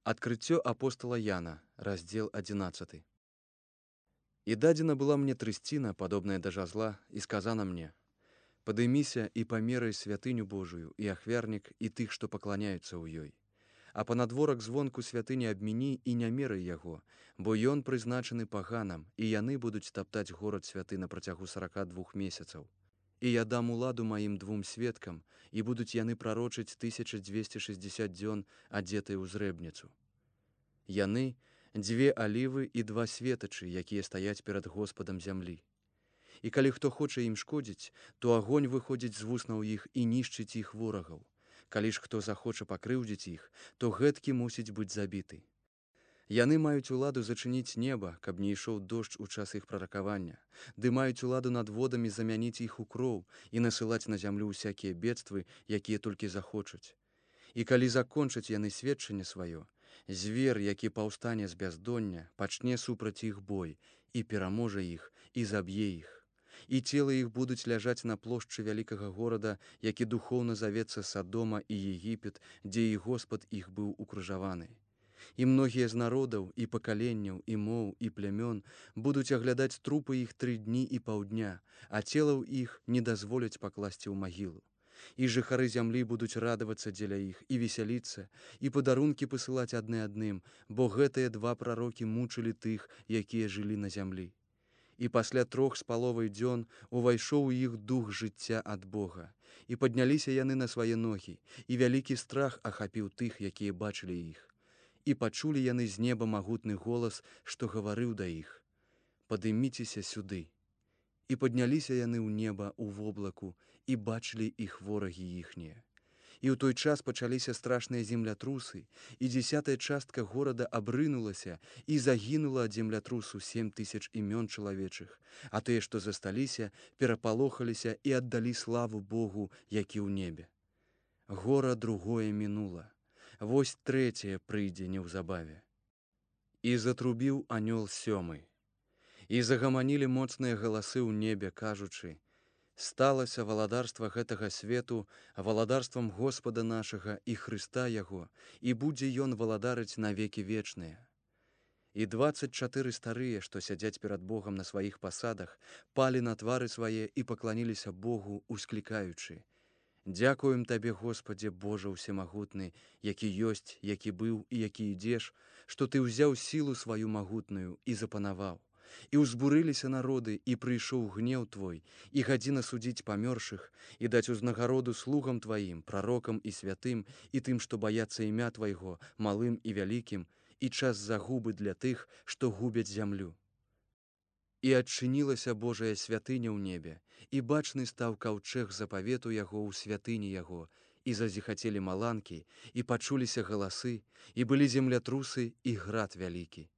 Адкрыццё апостала Яна, раздзел 11. І дадзена была мне трысціна, падобная да жазла, і сказана мне: «Падыміся і памерай святыню Божую, і ахвярнік, і тых, што пакланяюцца ў ёй. А панадворак звонку святыні абміні і не мерай яго, бо ён прызначаны паганам, і яны будуць таптаць горад святы на працягу 42 месяцаў. І я дам уладу маім двум сведкам, і будуць яны прарочыць 1260 дзён, адзетыя ў зрэбніцу. Яны — дзве алівы і два светачы, якія стаяць перад Господам зямлі. І калі хто хоча ім шкодзіць, то агонь выходзіць з вуснаў іх і нішчыць іх ворагаў. Калі ж хто захоча пакрыўдзіць іх, то гэткі мусіць быць забіты. Яны маюць уладу зачыніць неба, каб не ішоў дождж у час іх праракавання, ды маюць уладу над водамі замяніць іх у кроў і насылаць на зямлю ўсякія бедствы, якія толькі захочуць. І калі закончаць яны сведчанне сваё, звер, які паўстане з бяздоння, пачне супраць іх бой і пераможа іх і заб'е іх. І целы іх будуць ляжаць на плошчы вялікага горада, які духоўна завецца Садома і Егіпет, дзе і Господ іх быў укрыжаваны. І многія з народаў, і пакаленняў, і моў, і плямён будуць аглядаць трупы іх 3 дні і паўдня, а целаў іх не дазволяць пакласці ў магілу. І жыхары зямлі будуць радавацца дзеля іх і весяліцца, і падарункі пасылаць адны адным, бо гэтыя два прарокі мучылі тых, якія жылі на зямлі. І пасля 3,5 дзён увайшоў у іх дух жыцця ад Бога, і падняліся яны на свае ногі, і вялікі страх ахапіў тых, якія бачылі іх. І пачулі яны з неба магутны голас, што гаварыў да іх: «Падыміцеся сюды». І падняліся яны ў неба ў воблаку, і бачылі іх ворагі іхнія. І ў той час пачаліся страшныя землятрусы, і 10-я частка горада абрынулася, і загінула ад землятрусу 7000 імён чалавечых, а тыя, што засталіся, перапалохаліся і аддалі славу Богу, які ў небе. Гора другое мінула, вось трэцяе прыйдзе неўзабаве. І затрубіў анёл 7. І загаманілі моцныя галасы ў небе, кажучы: «Сталася валадарства гэтага свету валадарствам Господа нашага і Хрыста Яго, і будзе ён валадарыць на векі вечныя». І 24 старыя, што сядзяць перад Богам на сваіх пасадах, палі на твары свае і пакланіліся Богу, усклікаючы: «Дзякуем Табе, Господзе, Божа ўсемагутны, які ёсць, які быў і які ідзеш, што Ты ўзяў сілу сваю магутную і запанаваў. І ўзбурыліся народы, і прыйшоў гнеў Твой, і гадзіна судзіць памёршых, і даць узнагароду слугам Тваім, прарокам і святым, і тым, што баяцца імя Твайго, малым і вялікім, і час загубы для тых, што губяць зямлю». І адчынілася Божая святыня ў небе, і бачны стаў каўчэг запавету яго ў святыні яго, і зазіхацелі маланкі, і пачуліся галасы, і былі землятрусы і град вялікі.